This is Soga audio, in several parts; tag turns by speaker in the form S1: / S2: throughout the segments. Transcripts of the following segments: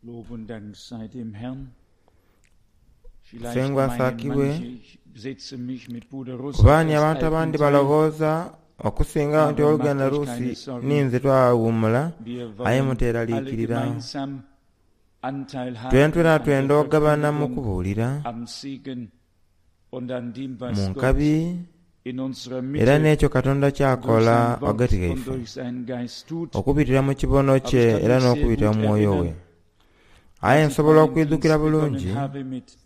S1: Lob und Dank sei dem Herrn. Vielleicht
S2: Musengwa
S1: meinen
S2: asaakibwe.
S1: manche, ich setze mich mit Bruder Russ
S2: Kuba
S1: auf
S2: ni
S1: das
S2: abantu abandi
S1: Altenteil.
S2: balowooza okusinga nti
S1: Aber
S2: oluganda
S1: macht euch
S2: Rusi
S1: keine Sorgen.
S2: ninze twawummula
S1: Wir
S2: aye
S1: wollen alle
S2: muteeraliikirira.
S1: gemeinsam Anteil haben
S2: Twentwena
S1: an der
S2: twenda okugabana mu
S1: Verkündigung,
S2: kubuulira
S1: am Segen und an dem,
S2: mu
S1: was Gott
S2: nkabi
S1: in unserer
S2: era
S1: Mitte
S2: n'ekyo Katonda
S1: durch
S2: ky'akola
S1: sein
S2: ghagati
S1: Wort und
S2: ghaife
S1: durch seinen Geist tut.
S2: okubitira mu kibono
S1: Aber
S2: kye
S1: ich kann
S2: era
S1: mich sehr
S2: n'okubitira
S1: gut
S2: mu mwoyo we.
S1: erinnern,
S2: Aye
S1: als ich
S2: nsobola
S1: meinen
S2: okwidhukira
S1: Dienst begonnen
S2: bulungi
S1: habe mit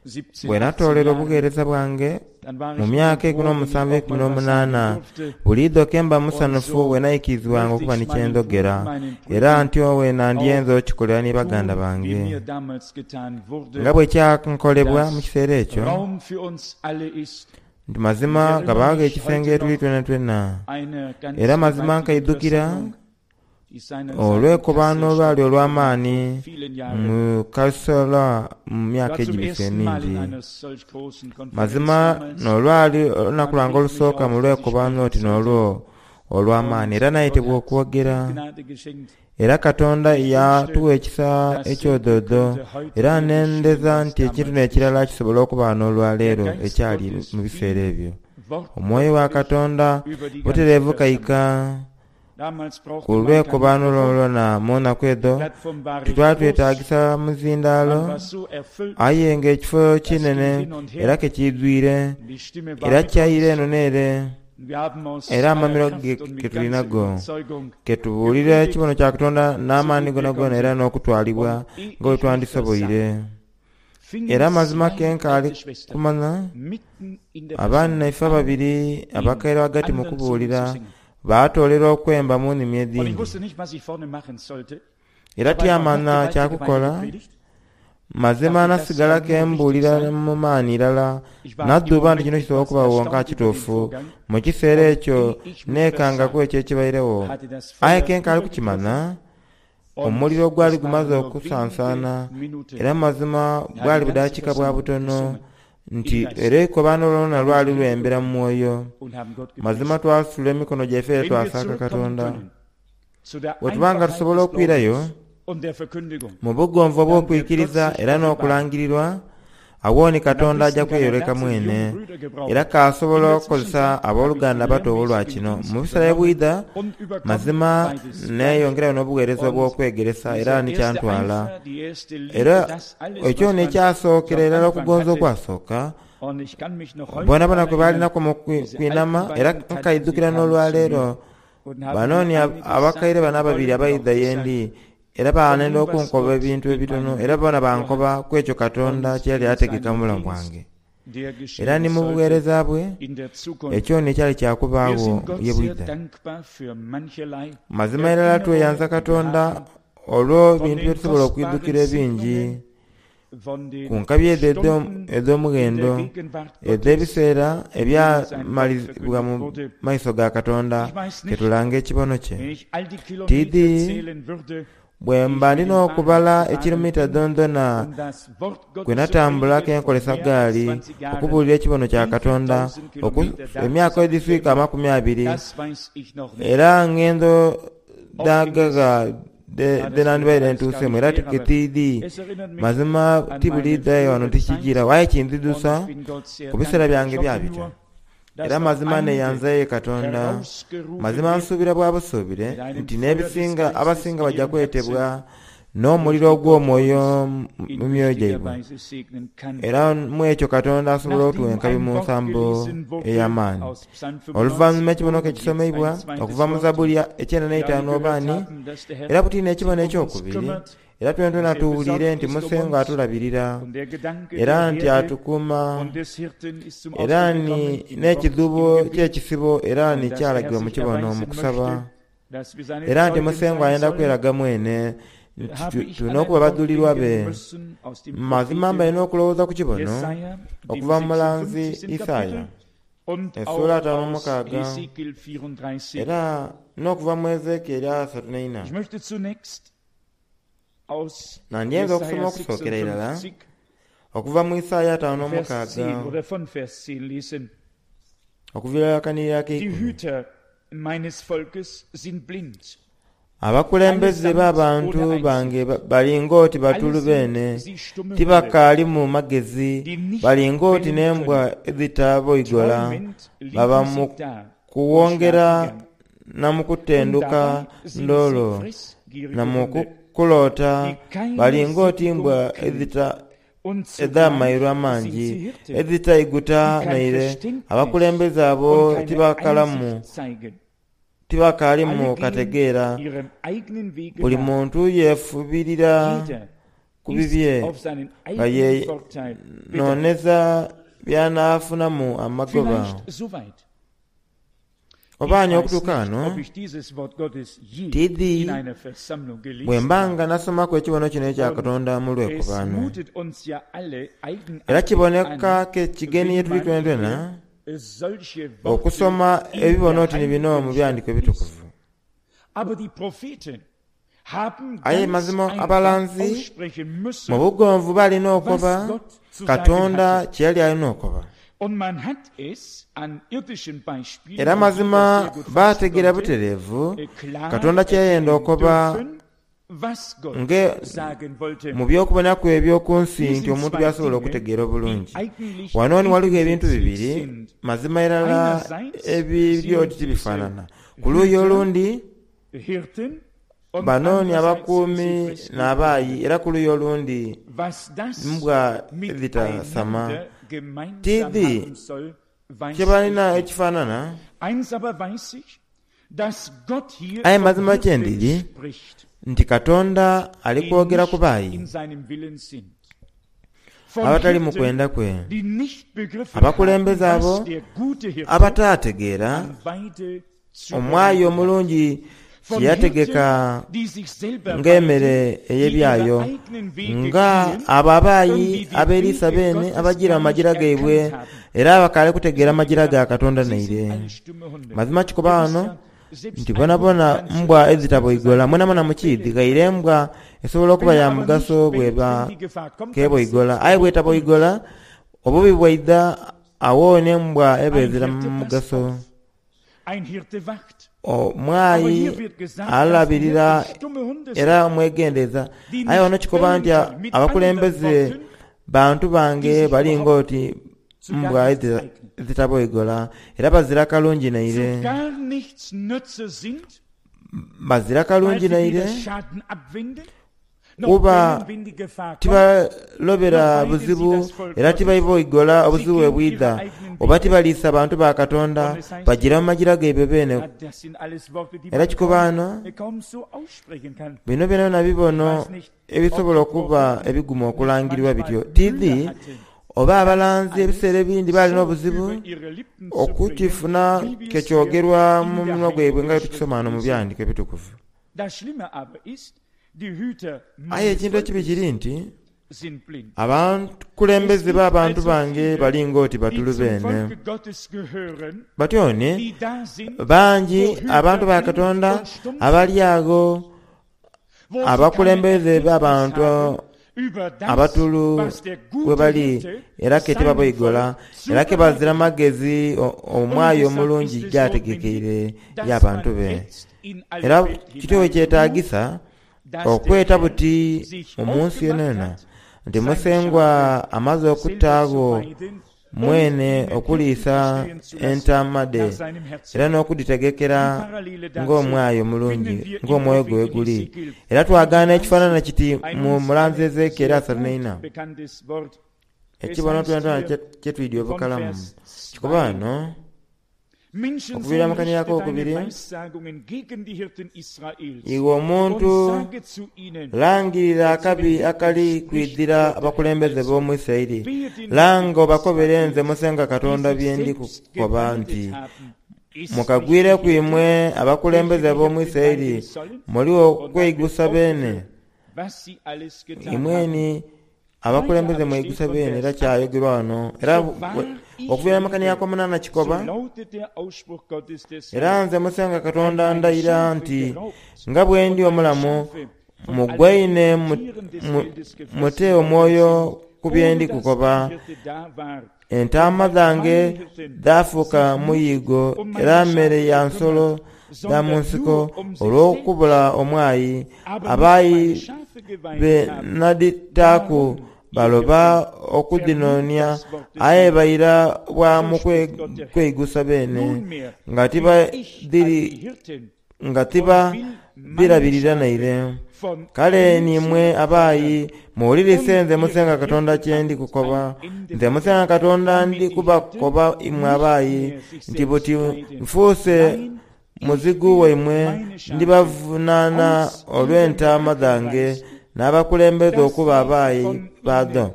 S1: 17,
S2: bwe
S1: 18
S2: natoolera
S1: Jahren,
S2: obugheereza bwange
S1: dann war
S2: mu
S1: ich
S2: myaka
S1: immer
S2: ekumi
S1: froh, wenn ich
S2: n'omusanvu
S1: auch
S2: ekumi
S1: mal was sagen
S2: n'omunaana
S1: durfte.
S2: buliidho ke mba
S1: Und
S2: musanufu
S1: so
S2: bwe naikirizibwanga
S1: möchte
S2: okuba
S1: ich
S2: ni
S1: es meinen,
S2: kyendogera
S1: meinen
S2: era
S1: Brüdern
S2: ntyo weena ndyenza
S1: auch
S2: okikolera ni baganda
S1: tun, wie
S2: bange
S1: mir damals getan
S2: nga
S1: wurde,
S2: bwe kyankolebwa mu
S1: dass
S2: kiseera ekyo
S1: Raum für uns alle ist.
S2: nti
S1: Ich
S2: mazima
S1: erinnere
S2: gabaago
S1: mich
S2: ekisenge
S1: heute
S2: etuli
S1: noch
S2: twena twena
S1: einer ganz
S2: era mazima
S1: gewaltigen
S2: nkaidhukira
S1: Versammlung, die seinerzeit in
S2: olw'ekobaano
S1: Kassel
S2: olwali
S1: stattgefunden hat, vor
S2: olw'amaanyi
S1: vielen Jahren.
S2: mu Kasola mu
S1: Ich
S2: myaka
S1: war zum
S2: egibise
S1: ersten Mal in
S2: emingi
S1: einer solch großen Konferenz
S2: mazima
S1: damals.
S2: n'olwali olunaku
S1: Man
S2: lwange
S1: rief mich
S2: olusooka mu
S1: auf, dass ich
S2: lwekobaano
S1: sprechen
S2: oti
S1: sollte.
S2: n'olwo olw'amaanyi
S1: Und
S2: era
S1: Gott
S2: nayitibwa
S1: hat
S2: okwogera
S1: Gnade geschenkt.
S2: era Katonda
S1: Ich wünschte,
S2: yatuwa ekisa
S1: dasselbe
S2: ekyododo
S1: könnte heute
S2: era
S1: wieder geschehen,
S2: nendeza
S1: was
S2: nti ekintu
S1: damals
S2: n'ekirala
S1: geschah.
S2: kisobola okuba
S1: Der
S2: n'olwaleero
S1: Geist
S2: ekyali
S1: Gottes
S2: mu biseera
S1: fiel
S2: ebyo omwoyo wa
S1: wortwörtlich
S2: Katonda
S1: über die ganze
S2: butereevu
S1: Versammlung.
S2: kaika
S1: Damals
S2: ku
S1: brauchte man kein
S2: lwekobaano
S1: Mikrofon,
S2: lwolwona mu nnaku
S1: die
S2: edho
S1: Plattform war recht groß,
S2: titwatwetaagisa muzindaalo
S1: man war so erfüllt,
S2: aye ng'ekifo
S1: das ging
S2: kinene
S1: hin und
S2: era
S1: her,
S2: kekiidwire
S1: die Stimme war
S2: era
S1: mit
S2: kyayira
S1: uns.
S2: eno n'ere
S1: Wir haben aus
S2: era
S1: aller
S2: amamiro
S1: Kraft
S2: ge
S1: und
S2: ge
S1: mit ganzer
S2: tulinago
S1: Überzeugung
S2: ketubuulire
S1: gepredigt,
S2: ekibono kya Katonda
S1: so
S2: n'amaani
S1: gut wir
S2: gonagona era
S1: konnten.
S2: n'okutwalibwa
S1: Und ehe
S2: nga bwe
S1: ich mich versah,
S2: twandisoboire
S1: fingen
S2: era amazima
S1: zwei
S2: ke nkaali
S1: alte Schwestern
S2: kumanya
S1: mitten in der
S2: abaana
S1: Versammlung
S2: ife
S1: an,
S2: ababiri
S1: in
S2: abakaire ghagati mu
S1: anderen Zungen zu
S2: kubuulira
S1: singen.
S2: baatoolera okwemba mu nnimi
S1: Und ich
S2: edhindi
S1: wusste nicht, was ich vorne machen sollte.
S2: era
S1: Dabei war noch
S2: tyamanya
S1: gewaltige
S2: kyakukola
S1: weitergepredigt.
S2: mazima
S1: Dachte, das
S2: nasigala
S1: kann
S2: ke
S1: nur richtig
S2: mbuulira
S1: sein.
S2: mu maanyi irala
S1: Ich war im
S2: nadduba nti kino
S1: Moment
S2: kisobola
S1: etwas
S2: okubaawo nka
S1: erstaunt über den
S2: kituufu
S1: Vorgang.
S2: mu kiseera
S1: Und
S2: ekyo
S1: ehe ich mich
S2: neekangaku
S1: versah,
S2: ekyo ekibairewo
S1: hatte das
S2: aye
S1: Feuer
S2: ke nkaali
S1: übergegriffen
S2: kukimanya
S1: und
S2: omuliro gwali
S1: es
S2: gumaze
S1: waren nur
S2: okusansaana
S1: wenige Minuten.
S2: era mazima
S1: Da hat
S2: bwali
S1: die ganze
S2: budakiika bwa
S1: Versammlung
S2: butono
S1: gesungen im
S2: nti
S1: Geist
S2: era eikobaano lwona
S1: und
S2: lwali
S1: sind
S2: lwembera mu
S1: gekommen
S2: mwoyo
S1: und haben Gott
S2: mazima
S1: gepriesen.
S2: twasitula emikono gyaife era
S1: Wenn wir
S2: twasaaka
S1: zurückkommen
S2: Katonda
S1: können zu der
S2: bwe tuba nga
S1: Einfachheit
S2: tusobola
S1: des
S2: okwirayo
S1: Glaubens und der Verkündigung,
S2: mu bugonvu
S1: dann wird Gott
S2: obw'okwikiriza
S1: sich
S2: era
S1: offenbaren.
S2: n'okulangirirwa awooni
S1: Und am
S2: Katonda ajja
S1: besten kann er
S2: kweyoleka
S1: dazu die jungen
S2: mwene
S1: Brüder
S2: era
S1: gebrauchen. In
S2: k'asobola
S1: der
S2: okukozesa
S1: Zwischenzeit habe ich den
S2: abooluganda abato olwa
S1: lehrmäßigen
S2: kino
S1: Dienst
S2: mu biseera
S1: übernommen
S2: ebwidha
S1: und überkomme
S2: mazima
S1: beides gleich.
S2: neeyongerayo n'obuweereza
S1: Und
S2: obw'okwegeresa era
S1: dieser erste
S2: nikyantwala
S1: Eifer, die erste Liebe,
S2: era
S1: das alles,
S2: ekyo
S1: was man so
S2: n'ekyasookera
S1: am
S2: irala
S1: Anfang
S2: okugonza
S1: hatte,
S2: okwasooka
S1: und ich kann mich noch heute
S2: bonabona
S1: daran
S2: kwe
S1: erinnern,
S2: baalinaku mu
S1: diese alten
S2: kwinama era
S1: beiden Tanten, sie
S2: nkaidhukira
S1: kamen zu
S2: n'olwaleero
S1: mir und haben
S2: banooni
S1: mir einiges
S2: abakaire
S1: sagen
S2: bano ababiri
S1: wollen und auch
S2: abaidha
S1: gesagt
S2: yendi era
S1: von
S2: baanenda
S1: dem, was
S2: okunkoba
S1: Gott
S2: ebintu
S1: in
S2: ebitono
S1: meinem
S2: era bona
S1: Leben vorhat
S2: bankoba ku ekyo Katonda
S1: und
S2: kye yali
S1: in
S2: ategeka
S1: seinem
S2: mu bulamu
S1: Dienst,
S2: bwange
S1: der
S2: era
S1: geschehen
S2: ni mu
S1: sollte
S2: buweereza bwe
S1: in der Zukunft.
S2: ekyo nekyali
S1: Wir
S2: kyakubaawo
S1: sind Gott
S2: ye
S1: sehr
S2: bwidha
S1: dankbar für mancherlei
S2: mazima irala tweyanza
S1: Erinnerungen, die wir
S2: Katonda
S1: haben
S2: olw'ebintu
S1: von
S2: bye
S1: den
S2: tusobola
S1: kostbaren
S2: okwidhukira ebingi
S1: Segnungen, von
S2: ku
S1: den
S2: nkabi edho
S1: Stunden in der
S2: edh'omughendo
S1: Gegenwart Gottes,
S2: edh'ebiseera
S1: in denen sein Wort
S2: ebyamalizibwa
S1: verkündigt
S2: mu
S1: wurde.
S2: maiso ga Katonda
S1: Ich weiß
S2: ke
S1: nicht,
S2: tulanga ekibono kye
S1: wenn ich all die Kilometer
S2: tiidi
S1: zählen würde,
S2: bwe
S1: die ich
S2: mba
S1: mit
S2: ndina
S1: dem Fahrrad
S2: okubala
S1: gefahren
S2: ekiromita
S1: bin,
S2: dhondhona
S1: um das Wort
S2: kwe
S1: Gottes zu
S2: natambulako
S1: predigen, vor
S2: enkolesa
S1: mehr als
S2: gaali
S1: 20 Jahren,
S2: okubuulira ekibono kya
S1: wie viel
S2: Katonda
S1: tausend Kilometer da
S2: emyaka edhiswika
S1: zusammenkämen,
S2: amakumi abiri
S1: das weiß ich noch nicht.
S2: era ngendo
S1: Oft ging es,
S2: dhagaga
S1: ja, das
S2: dhe
S1: würde
S2: nandibaire
S1: alles gar
S2: ntuusemu
S1: nicht
S2: era
S1: her, aber
S2: tiketiidi
S1: es erinnert mich
S2: mazima
S1: an meine
S2: tibuliidhayo wano
S1: frühere
S2: tikijira
S1: Zeit
S2: waye
S1: und
S2: kinzidusa
S1: ich bin Gott sehr
S2: ku biseera
S1: dankbar.
S2: byange
S1: Ich hoffe
S2: byabita
S1: nur, dass
S2: era
S1: noch
S2: mazima
S1: einige
S2: neyanzayo Katonda
S1: herausgerufen
S2: mazima
S1: werden
S2: nsuubira bwa busuubire
S1: mit einem
S2: nti
S1: Feuer des
S2: n'ebisinga
S1: Geistes
S2: abasinga
S1: in
S2: bajja
S1: ihrem Herzen,
S2: kwetebwa
S1: durch
S2: n'omuliro
S1: die Gott
S2: ogw'omwoyo
S1: uns in
S2: mu myoyo
S1: mächtiger
S2: gyaibwe
S1: Weise segnen kann.
S2: era mu ekyo Katonda asobola
S1: Nachdem
S2: otuwa enkabi
S1: ein
S2: mu
S1: Wort
S2: nsambo
S1: gelesen wurde
S2: ey'amaanyi
S1: aus Psalm
S2: oluvannyuma
S1: 95
S2: ekibono
S1: und
S2: ke
S1: jetzt
S2: kisomeibwa
S1: ein zweites
S2: okuva mu
S1: Wort,
S2: Zabbuli ekyenda
S1: wir alle
S2: n'eitaanu
S1: gehört
S2: obaani
S1: haben, dass der
S2: era
S1: Herr
S2: butini ekibono
S1: sich um uns
S2: ekyokubiri
S1: kümmert,
S2: era twentwena
S1: dass er
S2: tuwulire
S1: besorgt
S2: nti
S1: ist um
S2: Musengo
S1: uns
S2: atulabirira
S1: und der Gedanke
S2: era
S1: der
S2: nti
S1: Herde
S2: atukuuma
S1: und des Hirten ist zum
S2: era
S1: Ausdruck
S2: ni
S1: gekommen im Wort, im
S2: n'ekidhubo
S1: Gebet
S2: ky'ekisibo era
S1: und
S2: ni
S1: dass der Herr
S2: kyalagibwa mu
S1: sich
S2: kibono mu
S1: erweisen
S2: kusaba
S1: möchte, dass wir seine
S2: era nti
S1: Zeugen
S2: Musengo
S1: sein
S2: ayenda
S1: sollen,
S2: kweraga mwene nti
S1: habe ich
S2: tulina
S1: an ein
S2: okuba
S1: Wort
S2: badulirwa
S1: denken
S2: be
S1: müssen aus dem
S2: mazima
S1: Propheten
S2: mbalina okulowooza ku kibono
S1: Jesaja, dem
S2: okuva mu mulanzi
S1: 56.
S2: Isaaya
S1: Kapitel und
S2: essuula
S1: auch
S2: ataano mu
S1: aus
S2: mukaaga
S1: Hesekiel 34.
S2: era n'okuva mu Ezeekyeri asatu n'eina
S1: Ich möchte zunächst aus
S2: nandyenza okusoma
S1: Jesaja
S2: okusookera irala
S1: 56,
S2: okuva mu Isaaya ataano
S1: Vers 10
S2: n'omukaaga
S1: oder von Vers 10 lesen.
S2: okuviira akanirira
S1: Die
S2: ak'eikumi
S1: Hüter meines Volkes sind blind.
S2: Abakulembeze
S1: Allesamt
S2: b'abantu
S1: ohne
S2: bange
S1: Einsicht.
S2: bali ng'oti
S1: Alle
S2: batulu
S1: sind
S2: beene,
S1: sie stumme Hunde,
S2: tibakaalimu magezi,
S1: die nicht
S2: bali ng'oti
S1: bellen
S2: n'embwa
S1: können.
S2: edhitaboigola.
S1: Träumend
S2: Baba
S1: liegen
S2: mu
S1: sie da und
S2: kuwongera
S1: schlafen gern.
S2: na mu
S1: Und
S2: kutenduka
S1: dabei sind sie
S2: ndoolo, na
S1: fressgierige
S2: mu
S1: Hunde,
S2: kuloota
S1: die keine
S2: bali ng'oti
S1: Sättigung
S2: mbwa
S1: kennen. Und zugleich
S2: edh'amairo
S1: sind
S2: amangi
S1: sie Hirten,
S2: edhitaiguta
S1: die kein
S2: naire.
S1: Verständnis
S2: Abakulembeze abo
S1: und keine
S2: tibakalamu
S1: Einsicht zeigen.
S2: tibakaalimu
S1: Alle gehen
S2: kategeera.
S1: ihrem eigenen Wege
S2: Buli
S1: nach.
S2: muntu yeefubirira
S1: Jeder
S2: ku
S1: ist
S2: bibye
S1: auf seinen
S2: nga
S1: eigenen Vorteil bedacht.
S2: yenooneza by'anaafunamu amagoba.
S1: Vielleicht soweit.
S2: Oba
S1: Ich
S2: ani
S1: weiß
S2: okutuuka
S1: nicht,
S2: wano
S1: ob ich dieses Wort Gottes je
S2: tidhi
S1: in einer Versammlung
S2: bwe
S1: gelesen
S2: mba
S1: habe.
S2: nga nasomaku ekibono kino ekya
S1: Und
S2: Katonda mu
S1: es
S2: lwekubaano.
S1: mutet uns ja alle
S2: Era
S1: eigenartig
S2: kiboneka
S1: an,
S2: ke kigeni ye
S1: wenn
S2: tuli
S1: man
S2: twenatwena
S1: hier solche
S2: okusoma
S1: Worte in
S2: ebibono
S1: der
S2: oti ni bino mu
S1: Heiligen
S2: byandiko
S1: Schrift
S2: ebitukuvu.
S1: liest. Aber die Propheten haben
S2: Aye
S1: ganz
S2: mazima
S1: einfach
S2: abalanzi
S1: aussprechen
S2: mu
S1: müssen,
S2: bugonvu balina
S1: was
S2: okoba
S1: Gott zu sagen
S2: Katonda
S1: hatte.
S2: kye yali alina okoba.
S1: Und man hat es an irdischen Beispielen,
S2: Era
S1: wo jeder
S2: mazima
S1: sehr gut fassen
S2: baategeera
S1: konnte,
S2: butereevu
S1: klar
S2: Katonda kye yayenda
S1: erkennen
S2: okoba
S1: dürfen, was Gott
S2: nge
S1: sagen wollte.
S2: mu by'okubonaku eby'oku nsi
S1: Hier
S2: nti
S1: sind
S2: omuntu
S1: zwei
S2: by'asobola
S1: Dinge,
S2: okutegeera
S1: die
S2: obulungi.
S1: eigentlich
S2: Wano ni waliwo ebintu
S1: gegensätzlich
S2: bibiri
S1: sind.
S2: mazima irala
S1: Einerseits
S2: ebiri oti
S1: sind diese
S2: tibifaanana. Ku luuyi
S1: Hüter
S2: olundi
S1: Hirten und
S2: bano ni
S1: andererseits sind sie
S2: abakuumi
S1: fressgierige
S2: n'abaayi
S1: Hunde.
S2: era ku luuyi olundi
S1: Was das
S2: mbwa edhitasama.
S1: miteinander gemeinsam
S2: Tidhi
S1: haben soll, weiß
S2: kye
S1: ich
S2: balina
S1: nicht.
S2: ekifaanana
S1: Eins aber weiß ich, dass Gott hier
S2: aye
S1: von
S2: mazima kye
S1: Hirten
S2: ndiri
S1: spricht,
S2: nti Katonda ali
S1: die
S2: kwogera ku
S1: nicht
S2: baayi
S1: in seinem Willen sind. Von
S2: abatali mu
S1: Hirten,
S2: kwenda kwe.
S1: die nicht begriffen haben,
S2: Abakulembeze
S1: was
S2: abo
S1: der gute Hirte
S2: abataategeera
S1: an Weide
S2: omwayi
S1: zubereitet hat.
S2: omulungi
S1: Von
S2: kye yategeka
S1: Hirten, die sich selber
S2: ng'emmere
S1: weiden, die ihre
S2: ey'ebyayo
S1: eigenen Wege
S2: nga
S1: gehen
S2: abo
S1: und
S2: abaayi
S1: die die
S2: abeeriisa
S1: Wege
S2: beene
S1: Gottes
S2: abagira
S1: gar
S2: mu
S1: nicht
S2: magira gaibwe
S1: erkannt haben.
S2: era abakaali kutegeera
S1: So
S2: magira ga
S1: gesagt,
S2: Katonda
S1: sie sind
S2: naire.
S1: alle stumme Hunde.
S2: Mazima kikoba
S1: Ihr wisst
S2: wano
S1: ja, selbst
S2: nti
S1: ein
S2: bonabona
S1: Hund kann
S2: mbwa
S1: zu
S2: ezitaboigola
S1: sein
S2: mwenamwena mukiidhi
S1: bellen.
S2: ghaire embwa esobola okuba
S1: Wenn er
S2: ya
S1: aber nicht
S2: mugaso
S1: bellt, wenn
S2: bweba
S1: die Gefahr kommt, dann setzt
S2: keboigola
S1: er
S2: aye
S1: sich um.
S2: bwetaboigola obubi bwaidha awo n'embwa eba
S1: Ein
S2: ezira
S1: Hirte
S2: mu
S1: passt
S2: mugaso.
S1: auf, ein Hirte wacht. Aber
S2: Omwayi
S1: hier wird gesagt, dass die
S2: alabirira
S1: Hirten stumme Hunde
S2: era
S1: sind,
S2: omwegendereza
S1: die
S2: aye wano
S1: nicht
S2: kikoba
S1: bellen
S2: nti
S1: können. Mit anderen
S2: abakulembeze
S1: Worten,
S2: bantu
S1: die
S2: bange
S1: sich
S2: bali
S1: überhaupt
S2: ng'oti
S1: zu
S2: mbwa
S1: gar nichts eignen,
S2: ezitaboigola era bazira kalungi
S1: zu
S2: naire
S1: gar nichts Nütze sind,
S2: bazira
S1: weil
S2: kalungi
S1: sie
S2: naire
S1: weder Schaden abwenden, noch
S2: kuba
S1: bellen, wenn die Gefahr kommt,
S2: tibalobera
S1: noch weiden sie
S2: buzibu
S1: das Volk
S2: era
S1: Gottes.
S2: tibaiboigola
S1: Sie
S2: obuzibu bwe
S1: gehen ihre
S2: bwidha
S1: eigenen
S2: oba
S1: Wege.
S2: tibaliisa bantu ba Katonda
S1: Und es heißt
S2: bagira
S1: hier,
S2: mu magira gaibwe beene
S1: ja, das sind alles Worte, die
S2: era
S1: man
S2: kikoba
S1: kaum,
S2: wano
S1: kaum so aussprechen kann.
S2: bino byona
S1: Ich
S2: bibono
S1: weiß nicht, ob
S2: ebisobola
S1: die
S2: okuba
S1: Propheten
S2: ebigumu
S1: nicht
S2: okulangirirwa
S1: manchmal
S2: bityo
S1: Mühe
S2: tidhi
S1: hatten,
S2: oba
S1: das
S2: abalanzi ebiseera
S1: alles
S2: ebindi baalina
S1: so
S2: obuzibu
S1: über ihre Lippen zu bringen,
S2: okukifuna
S1: wie wir
S2: ke
S1: es hier
S2: kyogerwa
S1: in
S2: mu
S1: der
S2: munwa gwaibwe
S1: Heiligen
S2: nga bwe
S1: Schrift
S2: tukisoma wano mu
S1: lesen.
S2: byandiko ebitukuvu.
S1: Das Schlimme aber ist, die Hüter
S2: Aye
S1: meines
S2: ekintu ekibi
S1: Volkes
S2: kiri nti
S1: sind blind. Es
S2: abakulembeze
S1: gibt
S2: b'abantu
S1: also
S2: bange
S1: viele,
S2: bali ng'oti
S1: die
S2: batulu
S1: zum
S2: beene.
S1: Volke Gottes gehören,
S2: Batyone
S1: die da sind,
S2: bangi
S1: wo Hüter
S2: abantu ba
S1: blind
S2: Katonda
S1: und stumm sind,
S2: abali ago
S1: wo sie keine
S2: abakulembeze
S1: Erkenntnis
S2: b'abantu
S1: haben über das,
S2: abatulu
S1: was der
S2: we
S1: gute
S2: bali
S1: Hirte
S2: era ke
S1: seinem
S2: tibaboigola
S1: Volk
S2: era ke bazira
S1: zubereitet hat.
S2: magezi
S1: Und
S2: omwayi
S1: deshalb
S2: omulungi
S1: ist es
S2: gy'ategekeire
S1: notwendig, dass
S2: y'abantu
S1: man
S2: be.
S1: jetzt in alle
S2: Era
S1: Welt
S2: kityo we
S1: hineinruft,
S2: kyetaagisa
S1: dass der
S2: okweta
S1: Herr
S2: buti
S1: sich
S2: mu nsi
S1: aufgemacht
S2: yonayona
S1: hat,
S2: nti
S1: seine
S2: Musengwa
S1: Schafe
S2: amaze
S1: selber zu
S2: okutaagho
S1: weiden und
S2: mwene
S1: ihnen Hirten
S2: okuliisa
S1: stehen zu lassen
S2: entaama dhe
S1: nach seinem Herzen.
S2: era
S1: Die
S2: n'okuditegekera
S1: Parallele dazu
S2: ng'omwayi omulungi
S1: finden wir im
S2: ng'omwoyo gwe
S1: Propheten
S2: guli.
S1: Hesekiel
S2: Era twagaana ekifaanana
S1: 34,
S2: kiti
S1: ein
S2: mu
S1: uns
S2: mulanzi
S1: allen
S2: Ezekieri
S1: sehr
S2: asatu
S1: gut
S2: n'eina
S1: bekanntes Wort. Es
S2: ekibono
S1: heißt
S2: twena
S1: hier
S2: kye twidya
S1: von
S2: obukalamu
S1: Vers
S2: kikoba
S1: 2,
S2: wano
S1: Menschensohn,
S2: okuviira mu
S1: richte
S2: kanirako
S1: deine
S2: okubiri
S1: Weissagungen gegen die Hirten Israels
S2: iwe
S1: und
S2: omuntu
S1: sage zu ihnen,
S2: langirira
S1: oder zu den
S2: akabi
S1: Hirten
S2: akali
S1: spricht
S2: kwidhira
S1: Gott der Herr
S2: abakulembeze
S1: also.
S2: b'omu Isirayiri
S1: Wehe den
S2: langa
S1: Hirten
S2: obakobere nze
S1: Israels,
S2: Musenga
S1: die
S2: Katonda
S1: sich
S2: bye ndi
S1: selbst
S2: kukoba nti
S1: geweidet haben. Ist nicht die
S2: mukagwireku
S1: Hirte,
S2: imwe abakulembeze
S1: welche die
S2: b'omu
S1: Hirten
S2: Isirayiri
S1: weiden sollen?
S2: muli
S1: Und dann wird
S2: okweigusa beene
S1: aufgeführt, was sie alles getan haben.
S2: imweni
S1: Weiter
S2: abakulembeze
S1: aber steht
S2: mweigusa
S1: von
S2: beene era
S1: Vers 8,
S2: kyayogerwa wano era
S1: so wahr ich
S2: okuviira mu
S1: lebe,
S2: kanirako omunaana
S1: so
S2: kikoba
S1: lautet der Ausspruch Gottes des
S2: era
S1: Herrn,
S2: nze Musenga
S1: wenn
S2: Katonda
S1: meine
S2: ndayira
S1: Schafe
S2: nti
S1: geraubt
S2: nga bwe ndi
S1: und meine
S2: omulamu
S1: Schafe von allen
S2: mugwaine
S1: Tieren des Feldes
S2: mute
S1: gefressen worden
S2: omwoyo
S1: sind,
S2: ku bye
S1: ohne
S2: ndi
S1: dass
S2: kukoba
S1: ein Hirte da war, und
S2: entaama
S1: weil
S2: dhange
S1: meine Hirten
S2: dhaafuuka
S1: sich nicht
S2: muyigo
S1: um
S2: era
S1: meine
S2: mmere
S1: Schafe
S2: ya nsolo
S1: gekümmert
S2: dha mu nsiko olw'okubula omwayi. Abayi be nadhitaaku baloba okudhinoonia, aye baira bwa mu kweigusa beene, nga tibadhirabirira naire. Kale ni imwe abaayi, muwulirise nze Musengwa Katonda kye ndi kukoba. Nze Musengwa Katonda ndi kubakoba imwe abaayi, nti buti nfuuse muzigu waimwe, ndibavunaana olw'entaama dhange n'abakulembeza okuba abaayi baadho.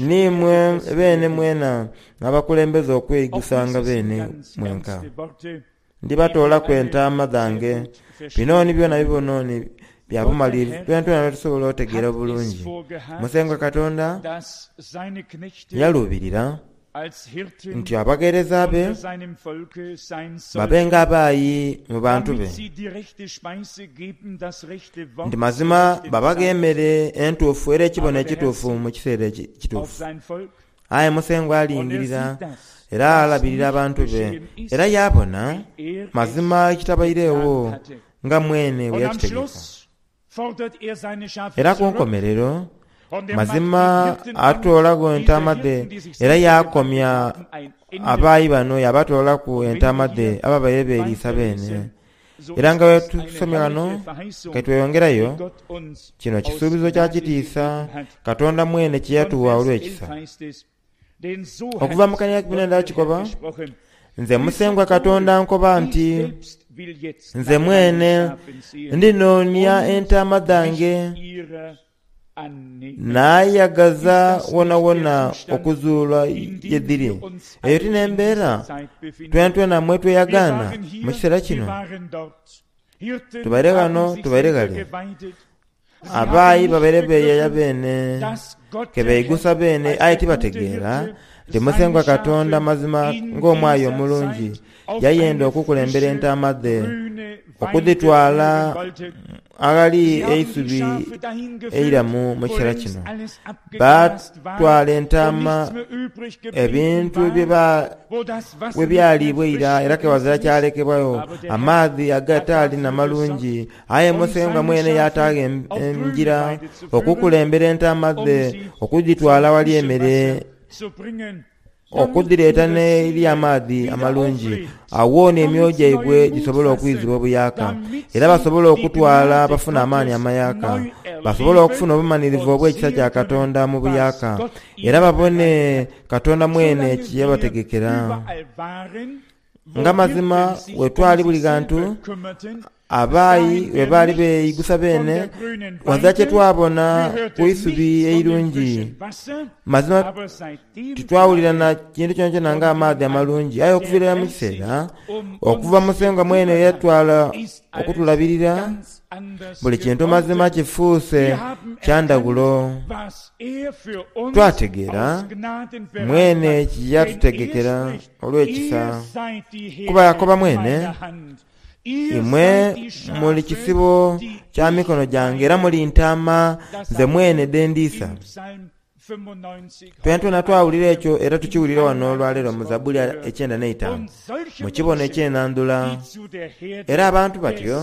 S2: N'imwe beene mwena n'abakulembeza okweigusanga beene mwenka. Ndibatoolaku entaama dhange. Bino ni byona bibono ni bya bumalirivu twenatwena lwe tusobola otegeera obulungi. Musengwa Katonda yaluubirira nti abagheereza be babe ng'abaayi mu bantu be, nti mazima babaghe emere entuufu era ekibono ekituufu mu kiseera ekituufu. Aye Musengwa alingirira era alabirira abantu be, era yaabona mazima ekitabairegho nga mwene bwe yakitegeka. Era ku nkomerero, mazima atoolagho entaama dhe era yaakomya abaayi bano yaabatoolaku entaama dhe ababaire beeriisa beene. Era nga bwe tusomye ghano, ke tweyongerayo, kino kisuubizo kya kitiisa Katonda mwene kye yatugha olw'ekisa. Okuva mu kania kibina kikoba, Nze Musengwa Katonda nkoba nti, Nze mwene ndinoonia entaama dhange Naayagaza wonawona okuzuula ye dhiri. Eyo ti n'embeera twenatwena mwe tweyagaana mu kiseera kino? Tubaire ghano, tubaire ghale. Abaayi babaire beeyaya beene, ke beigusa beene, aye tibategeera nti Musengwa Katonda mazima ng'omwayi omulungi yayenda okukulembera entaama dhe okudhitwala aghali eisubi eiramu mu kiseera kino. Baatwala entaama ebintu bwe byaliibwa eira era ke ghazira kyalekebwagho, amaadhi agataali na malungi. Aye Musengwa mwene yaataagho engira okukulembera entaama dhe okudhitwala aghali emere. Okudhireeta n'eri amaadhi amalungi, agho ni emyoyo gyaibwe gisobole okwizibwa obuyaaka, era basobole okutwala bafune amaani amayaaka, basobole okufuna obumanhirivu obw'ekisa kya Katonda mu buyaaka, era babone Katonda mwene kye yabategekera. Nga mazima bwe twali buli ghantu, abaayi bwe baali beigusa beene, ghazira kye twabona ku isubi eirungi. Mazima titwawulira na kintu kyonakyona ng'amaadhi amalungi. Aye okuviira irala mu kiseera okuva Musengwa mwene ye yatwala okutulabirira, buli kintu mazima kifuuse kya ndhaghulo. Twategeera mwene kye yatutegekera. olw'ekisa, kuba yakoba mwene, Imwe muli kisibo kya mikono gyange era muli ntaama nze mwene dhe ndiisa. Twenatwena twawulira ekyo era tukiwulira wano olwaleero mu Zabbuli ekyenda n'eitaanu, mu kibono eky'enandhula. Era abantu batyo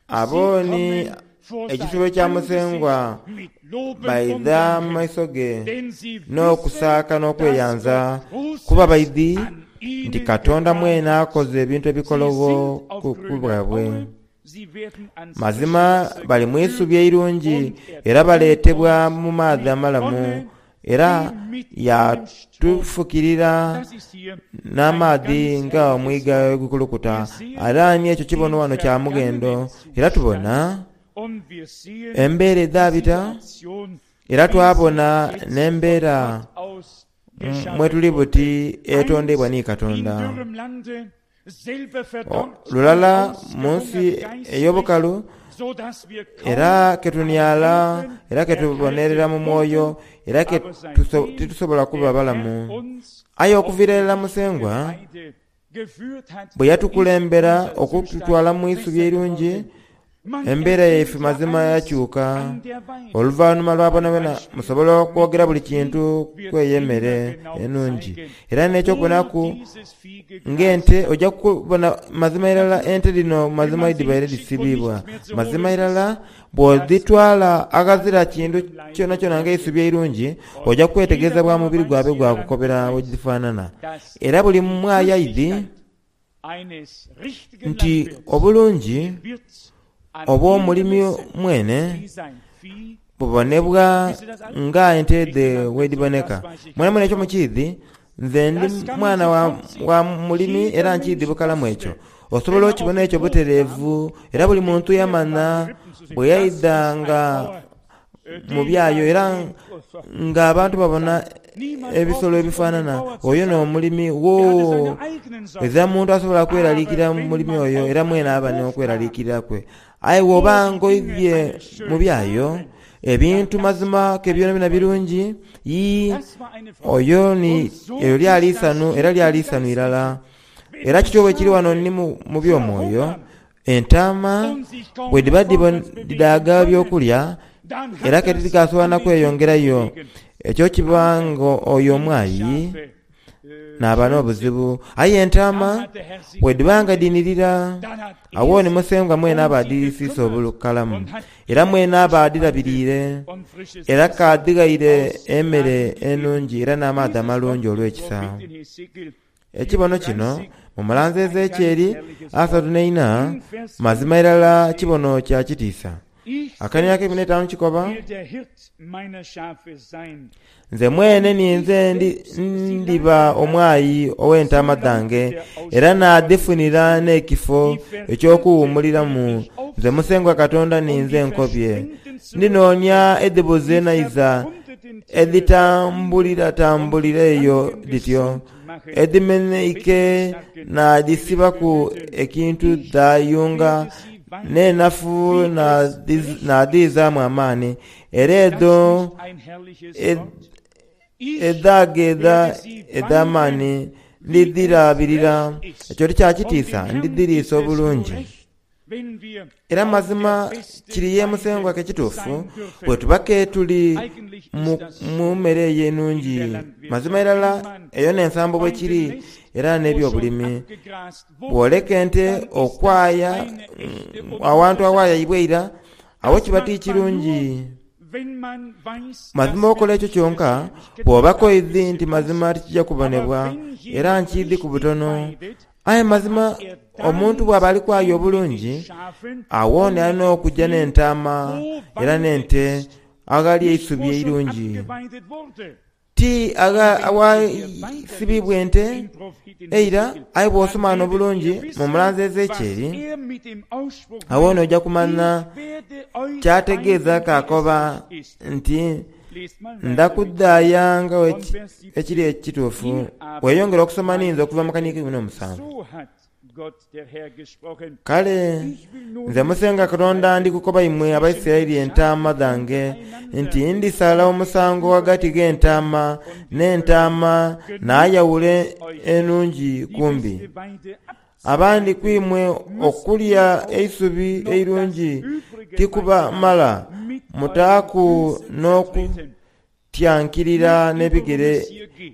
S2: Abo ni ekisibo kya Musengwa, baidha mu maiso ge n'okusaaka n'okweyanza, kuba baidhi nti Katonda mwene akoze ebintu ebikologho ku bwabwe. Mazima bali mu isubi eirungi era baleetebwa mu maadhi amalamu Era yaatufukirira n'amaadhi nga omwiga bwe gukulukuta. Era ni ekyo kibono wano kya mughendo. Era tubona embeera edhaabita, era twabona n'embeera mwe tuli buti etondeibwa ni Katonda. Lulala mu nsi ey'obukalu, era ke tuniala, era ke tubonerera mu mwoyo, era ke titusobola kuba balamu. Aye okuviira irala Musengwa bwe yatukulembera okututwala mu isubi eirungi, Embeera yaife mazima yakyuka oluvanhuma lwa bonabona. Musobola okwogera buli kintu ku eyo emere enungi. Era n'ekyokubonaku ng'ente, oja kubona mazima irala ente dhino mazima dhibaire dhisibiibwa. Mazima irala bw'odhitwala aghazira kintu kyonakyona ng'eisubi eirungi, oja kwetegereza bwa mubiri gwaibwe gwakukobera bwe dhifaanana. Era buli mwayi aidhi nti obulungi obw'omulimi mwene bubonebwa nga ente dhe bwedhiboneka. Mwenamwena ekyo mukiidhi, nze ndi mwana wa mulimi era nkiidhi bukalamu ekyo. Osobola okibona ekyo butereevu era buli muntu yamanha bwe yaidha nga mu byayo era nga abantu babona ebisolo ebifanana oyo n'omulimi. Woo! Ezira muntu asobola kweraliikirira mulimi oyo era mwene aba n'okweraliikirira kwe. Aye bw'oba nga oidhye mu byayo, ebintu mazima ke byonabyona birungi. Yii, oyo ni, eryo lyali isanhu era lyali isanhu irala. Era kityo bwe kiri wano ni mu by'omwoyo. Entaama bwe dhiba dhidaaga eby'okulya era ke tidhikaasobola na kweyongerayo, ekyo kiba nga oyo omwayi n'aba n'obuzibu. Aye entaama bwe dhiba nga dhinhirira, agho ni Musengwa mwene aba adhiriisiisa obukalamu, era mwene aba adhirabiriire, era k'adhighaire emere enungi era n'amaadhi amalungi olw'ekisa. Ekibono kino mu mulanzi Ezekieli 34, mazima irala kibono kya kitiisa. Akania ak'eikumi n'eitaanu kikoba, Nze mwene ninze ndiba omwayi ow'entaama dhange, era naadhifunira n'ekifo eky'okuwuumuliramu. Nze Musengwa Katonda ninze nkobye. Ndinoonia edhibuze naiza edhitambuliratambulira eyo dhityo. Edhimenheike naadhisibaku ekintu dhaayunga, n'enafu naadhiizaamu amaani, era edho edhaageedha edh'amaani ndidhirabirira. Ekyo ti kya kitiisa? Ndidhiriisa obulungi. Era mazima kiri ye Musengwa ke kituufu, bwetuba ke tuli mu mere eyo enungi. Mazima irala eyo n'ensambo bwekiri era n'ebyobulimi. Bw'oleka ente okwaya awantu awayaibwa eira, agho kiba ti kirungi. Mazima okola ekyo kyonka bw'oba koidhi nti mazima tikija kubonebwa, era nkiidhi ku butono. Aye mazima omuntu bw'aba ali kwaya obulungi, agho ni alina okuja n'entaama era n'ente aghali eisubi eirungi. Ti aghasibibwa ente eira, aye bw'osoma ghano obulungi mu mulanzi Ezekieli, agho ni oja kumanha ky'ategeeza k'akoba nti, Ndha kudhaaya nga ekiri ekituufu. Weeyongere okusoma ninze okuva mu kaniiko eikumi n'omusanvu. Kale nze Musengwa Katonda ndi kukoba imwe Abaisiraeli entaama dhange nti ndisala omusango ghagati gh'entaama n'entaama naayawula enungi ku mbi. Abandi ku imwe okulya eisubi eirungi tikubamala, mutaaku n'okutyankirira n'ebigere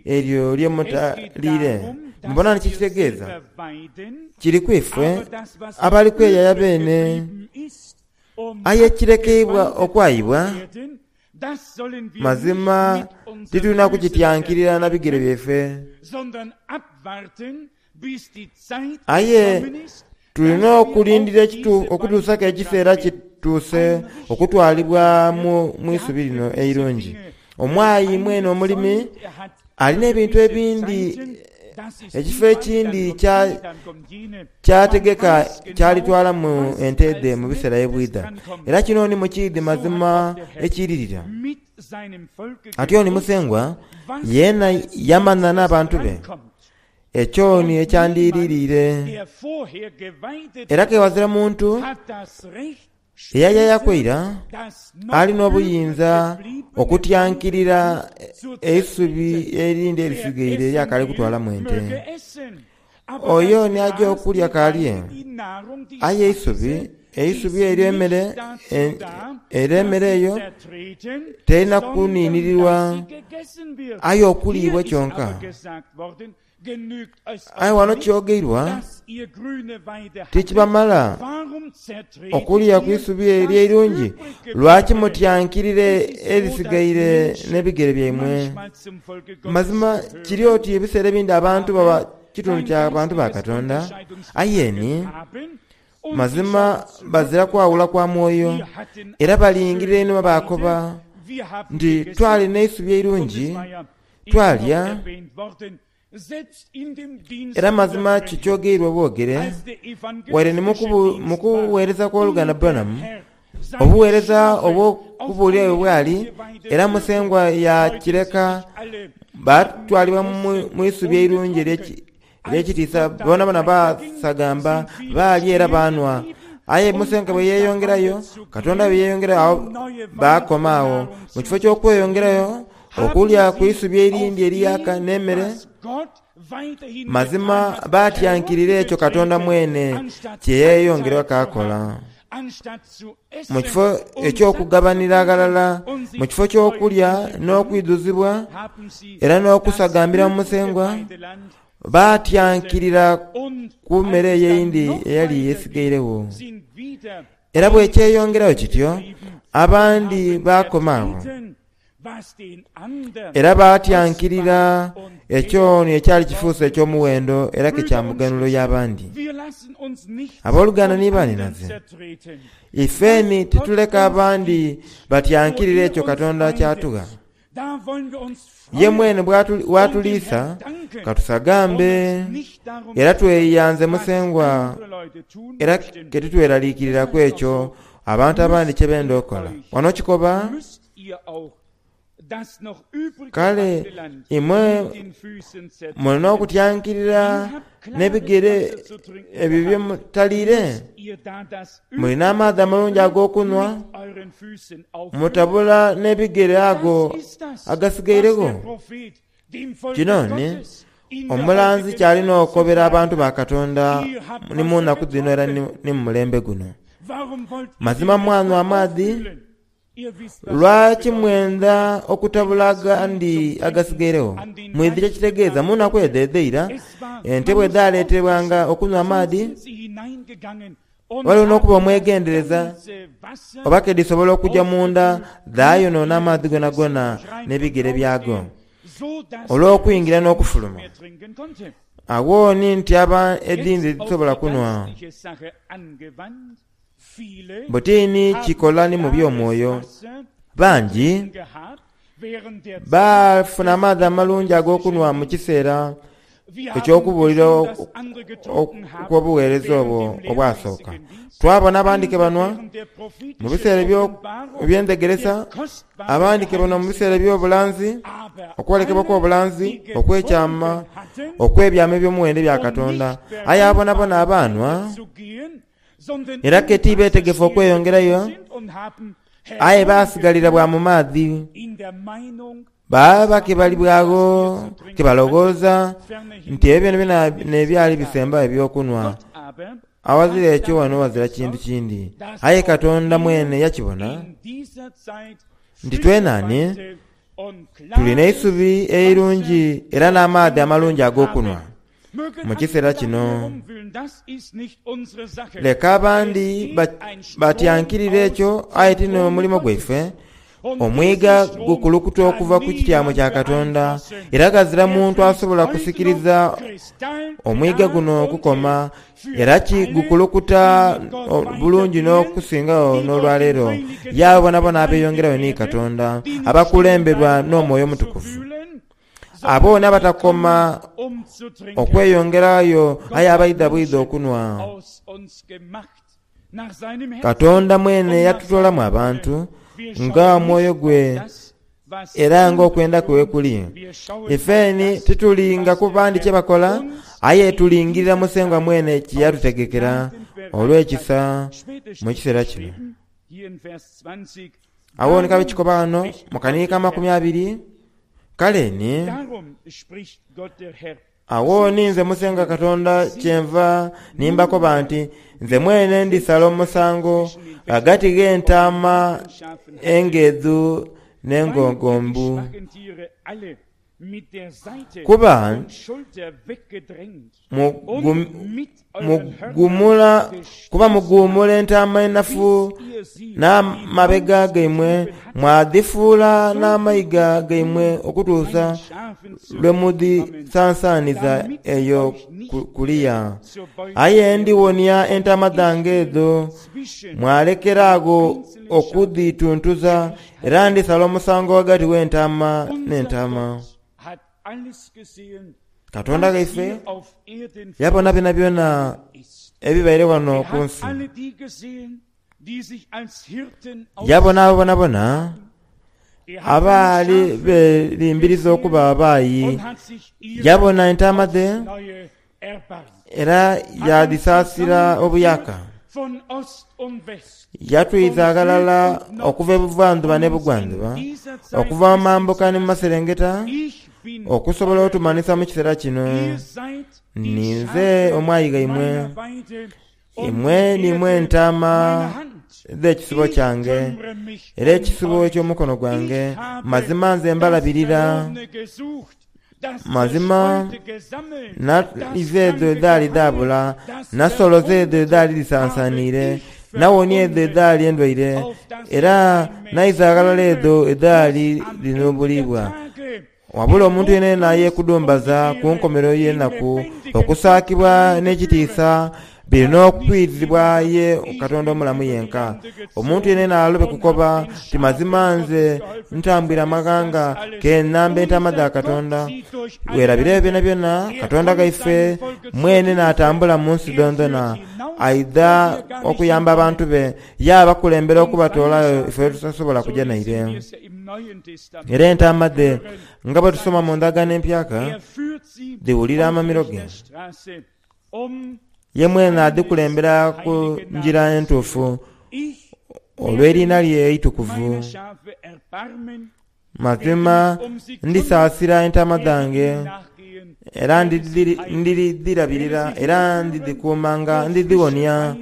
S2: eryo lye mutaliire. Mubona ni kye kitegeeza? Kiri ku ife abali kweyaya beene. Aye ekirekeibwa okwayibwa, mazima titulina kukityankirira na bigere byaife. Aye tuli n'okulindira okutuusaku ekiseera kituuse okutwalibwa mu isubi lino eirungi. Omwayi mwene omulimi alina ebintu ebindi, ekifo ekindi ky'ategeka ky'alitwalamu ente dhe mu biseera ebwidha. Era kino ni mukiidhi mazima ekiiririra. Atyo ni Musengwa yeena yamanha n'abantu be. Ekyo ni ekyandiiririire. Era ke ghazira muntu eyayayaku eira ali n'obuyinza okutyankirira eisubi erindi erisigaire ery'akaali kutwalamu ente. Oyo ni aja okulya k'alye, aye eisubi. Eisubi eryo emere era emere eyo terina kuniinirirwa aye okuliibwa kyonka. Aye ghano kyogeirwa tikibamala okulya ku isubi eryo eirungi, lwaki mutyankirira erisigaire n'ebigere byaimwe? Mazima kiri oti ebiseera ebindi abantu baba kitundu kya bantu ba Katonda, aye ni mazima bazira kwawula kwa mwoyo, era balingirira einhuma baakoba nti, Twali n'eisubi eirungi, twalya. Era mazima kyo kyogeirwa bwogere, waire ni mu kuweereza kw'oluganda Branham, obuweereza obw'okubuulira bwe bwali, era Musengwa yaakireka baatwalibwa mu isubi eirungi ery'ekitiisa, boonaboona baasagamba, baalya era baanhwa. Aye Musengwa bwe yeeyongerayo, Katonda bwe yeeyongerayo, agho baakoma agho. Mu kifo ky'okweyongerayo okulya ku isubi erindi eriyaka n'emere, mazima baatyankirira ekyo Katonda mwene kye yeeyongera kaakola. Mu kifo eky'okugabanira aghalala, mu kifo ky'okulya n'okwidhuzibwa era n'okusagambira mu Musengwa, baatyankirira ku mere eyo eyindi eyali esigairegho. Era bwekyeyongerayo kityo, abandi baakoma agho. Era baatyankirira ekyo ni ekyali kifuuse eky'omuwendo era ke kya muganhulo y'abandi. Aboluganda ni baanhinaze, ife ni tituleka abandi batyankirire ekyo Katonda ky'atugha. Ye mwene bw'atuliisa, ka tusagambe era tweyanze Musengwa era ke titweraliikiriraku ekyo abantu abandi kye benda okola. Wano kikoba. Kale imwe muli n'okutyankirira n'ebigere ebyo bye mutaliire? Muli n'amaadhi amalungi ag'okunhwa? Mutabula n'ebigere ago agasigairegho? Kino ni omulanzi ky'ali n'okobera abantu ba Katonda ni mu naku dhino era ni mu mulembe guno. Mazima mwanhwa amaadhi. Lwaki mwendha okutabula agandi agasigairegho? Mwidhi kye kitegeeza? Mu naku edho edh'eira, ente bwe dhaaleetebwanga okunhwa amaadhi, ghaligho n'okuba omwegendereza oba ke dhisobola okuja munda dhaayonoona amaadhi gonagona n'ebigere byago olw'okwingira n'okufuluma. Agho ni nti aba edhindi tidhisobola kunhwa. Butini kikola ni mu by'omwoyo. Bangi baafuna amaadhi amalungi ag'okunhwa mu kiseera eky'okubuulira okw'obugheereza obwo obwasooka. Twabona abandi ke banhwa mu biseera eby'endhegeresa, abandi ke banhwa mu biseera eby'obulanzi, okwolekebwa kw'obulanzi, okw'ekyama, okw'ebyama eby'omuwendo ebya Katonda. Aye abo bonabona abaanhwa, Era ke ti beetegefu okweyongerayo, aye baasigalira bwa mu maadhi. Baaba ke bali bwagho ke baloghooza nti ebyo byonabyona n'ebyali bisembayo eby'okunhwa. Awazira ekyo wano ghazira kintu kindi. Aye Katonda mwene yakibona nti twenani tuli n'eisubi eirungi era n'amaadhi amalungi ag'okunhwa. Mu kiseera kino, leka abandi batyankirire ekyo, aye ti n'omulimo gwaife. Omwiga gukulukuta okuva ku kityamo kya Katonda, era ghazira muntu asobola kusikiriza omwiga guno okukoma, era gukulukuta bulungi n'okusingagho n'olwaleero. Ye abo boonaboona abeeyongerayo ni Katonda, abakulemberwa n'Omwoyo Omutukuvu. Abo ni abatakoma okweyongerayo aye abaidha bwidha okunhwa. Katonda mwene yatutoolamu abantu nga omwoyo gwe era nga okwenda kwe bwe kuli. Ife ni titulinga ku bandi kye bakola, aye tulingirira Musengwa mwene kye yatutegekera olw'ekisa mu kiseera kino. Agho ni kabe kikoba ghano mu kanhiika amakumi abiri, Kale ni, Agho ni nze Musengwa Katonda kyenva ni mbakoba nti, Nze mwene ndisala omusango ghagati gh'entaama engeedhu n'engogombu. Kuba kuba muguumula entaama enafu n'amabega gaimwe, mwadhifuula n'amayiga gaimwe okutuusa lwe mudhisansaaniza eyo kuliya. Aye ndiwonia entaama dhange edho, mwalekera agho okudhituntuza, era ndisala omusango ghagati w'entaama n'entaama. Katonda ghaife yabona byonabyona ebibaire ghano ku nsi. Yabona abo bonabona abaali berimbiriza okuba abaayi. Yabona entaama dhe era yaadhisaasira obuyaaka. Yatwiza aghalala okuva e buvandhuba n'e bugwandhuba, okuva mu mambuka ni mu maserengeta, okusobola otumanhisa mu kiseera kino. Ninze omwayi ghaimwe, imwe niimwe entaama dh'ekisibo kyange, era ekisibo eky'omukono gwange. Mazima nze mbalabirira. Mazima naiza edho edhaali dhaabula, nasoloza edho edhaali dhisansaaniire, nawonia edho edhaali endwaire, era naiza aghalala edho edhaali dhinhubuliibwa. Wabula omuntu yenayena ayeekudumbaza ku nkomerero y'enaku, okusaakibwa n'ekitiisa biri n'okwidhibwa ye Katonda omulamu yenka. Omuntu yenayena alobe kukoba nti, Mazima nze ntambwire amaghanga, ke namba entaama dha Katonda. Weerabire ebyo byonabyona, Katonda ghaife mwene n'atambula mu nsi dhoondhona. Aidha okuyamba abantu be, yaabakulembera okubatoolayo ife ye tutasobola kuja naire. Era entaama dhe, nga bwe tusoma mu Ndagaano Empyaka, dhiwulira amamiro ge. Ye mwene adhikulembera ku ngira entuufu olw'eriina lye eitukuvu. Mazima ndisaasira entaama dhange, era ndidhirabirira era ndidhikuumanga, ndidhiwonia,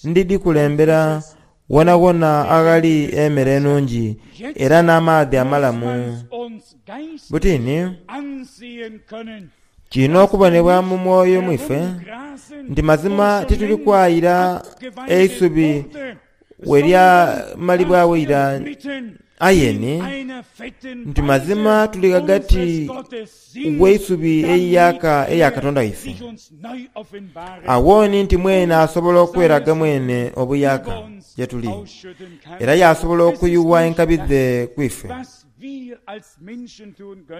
S2: ndidhikulembera wonawona aghali emere enungi era n'amaadhi amalamu. Buti ni, Kirina okubonebwa mu mwoyo mwife nti mazima tituli kwayira eisubi we lyamalibwagho ira, aye ni nti mazima tuli ghagati w'eisubi eiyaaka eya Katonda waife. Agho ni nti mwene asobola okweraga mwene obuyaaka ye tuli, era yaasobola okuyugha enkabi dhe ku ife.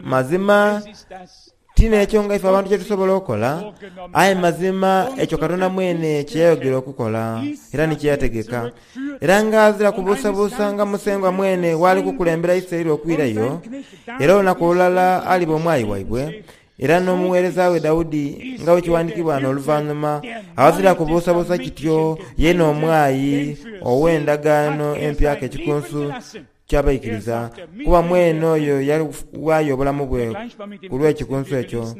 S2: Mazima ti n'ekyo nga ife abantu kye tusobola okola, aye mazima ekyo Katonda mwene kye yayogera okukola era ni kye yategeka. Era ng'azira kubuusabuusa nga Musengwa mwene bw'ali kukulembera Isiraeli okwirayo, era olunaku olulala aliba omwayi waibwe, era n'omugheereza we Daudi, nga bwe kiwandiikibwa ghano oluvanhuma, aghazira kubuusabuusa kityo yeena omwayi ow'endagaano empyaka ekikunsu ky'abaikiriza, kuba mwene oyo yaghaayo obulamu bwe ku lw'ekikunsu ekyo.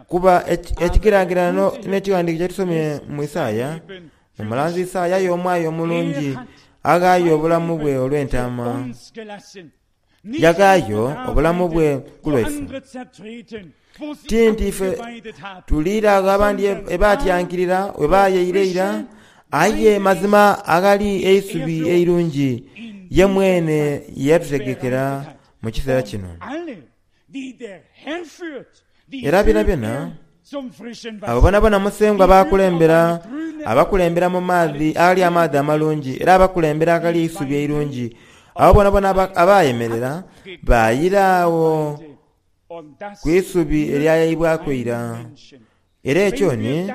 S2: Kuba ekigeragerano n'ekighandiiko kye tusomye mu Isaia, omulanzi Isaia aye omwayi omulungi aghaayo obulamu bwe olw'entaama. Yaghaayo obulamu bwe ku lwaife. Ti nti ife tuliira agho abandi ebaatyankirira we baayaira eira, aye mazima aghali eisubi eirungi ye mwene ye yatutegekera mu kiseera kino. Era byonabyona, abo boonaboona Musengwa b'akulembera, abakulembera mu maadhi aghali amaadhi amalungi, era abakulembera aghali eisubi eirungi. Abo boonaboona abaayemerera baayira agho ku isubi eryayaibwaku eira. Era ekyo ni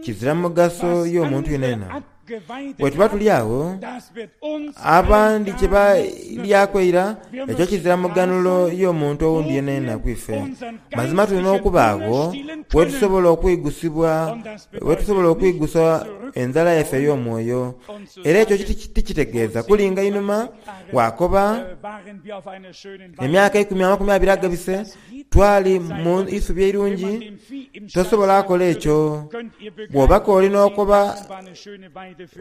S2: kizira mugaso y'omuntu yenayena. Bwe tuba tuli agho, abandi kye twaliryaku eira, ekyo kizira muganhulo y'omuntu owundi yenayena ku ife. Mazima tulina okubaagho wetusobola okwigusibwa, wetusobola okwigusa endhala yaife ey'omwoyo. Era ekyo tikitegeeza kulinga inhuma waakoba, Emyaka eikumi amakumi abiri agabise, twali mu isubi eirungi. Tosobola kola ekyo. Bw'oba k'oli n'okoba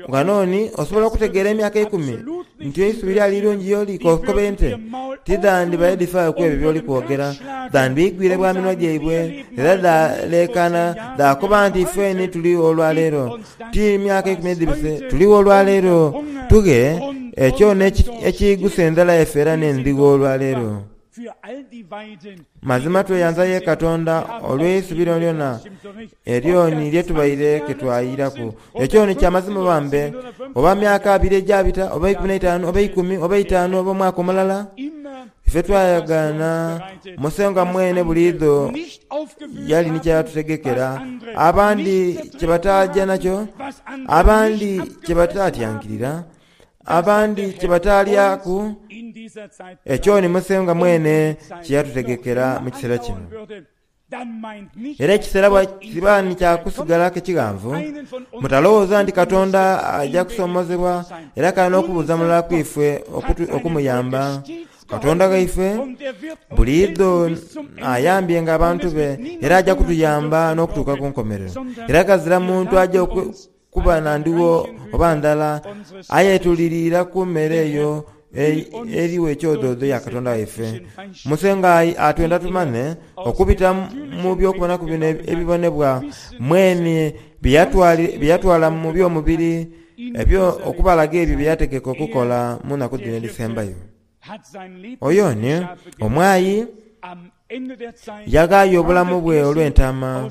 S2: Ghano ni osobola okutegeera emyaka eikumi nti eisubi lyali irungi y'oli? K'okobe ente tidhandibaire dhifaayo ku ebyo by'oli kwogera. Dhandiigwire bwa minwa gyaibwe era dhaaleekaana dhaakoba nti, Ifeni tuligho olwaleero, ti myaka eikumi edhibise, tuligho olwaleero. Tughe ekyo n'ekiigusa endhala yaife era n'endhigho olwaleero. Mazima tweyanza ye Katonda olw'eisubi lyonalyona eryo ni lye tubaire ke twayiraku. Ekyo ni kya mazima bambe, oba myaka abiri egyabita, oba eikumi n'eitaanu, oba eikumi, oba eitaanu, oba omwaka omulala. Ife twayagaana Musengwa mwene buliidho yali ni ky'atutegekera, abandi kye bataaja nakyo, abandi kye bataatyankirira. Abandi kye bataalyaku, ekyo ni Musengwa mwene kye yatutegekera mu kiseera kino. Era ekiseera bwe kiba ni kya kusigalaku ekighanvu, mutalowooza nti Katonda aja kusoomozebwa era kale n'okubuuza mulala ku ife okumuyamba. Katonda ghaife buliidho ayambyenga abantu be era aja kutuyamba n'okutuuka ku nkomerero. Era ghazira muntu aja Kuba na ndhigho oba ndhala, aye tuliriira ku mere eyo erigho ekyodhoodho ya Katonda waife. Musengwa atwenda tumanhe okubita mu by'okubonaku bino ebibonebwa mwene bye yatwala mu by'omubiri, okubalaga ebyo bye yategeka okukola mu naku dhino edhisembayo. Oyo ni omwayi yaghaayo obulamu bwe olw'entaama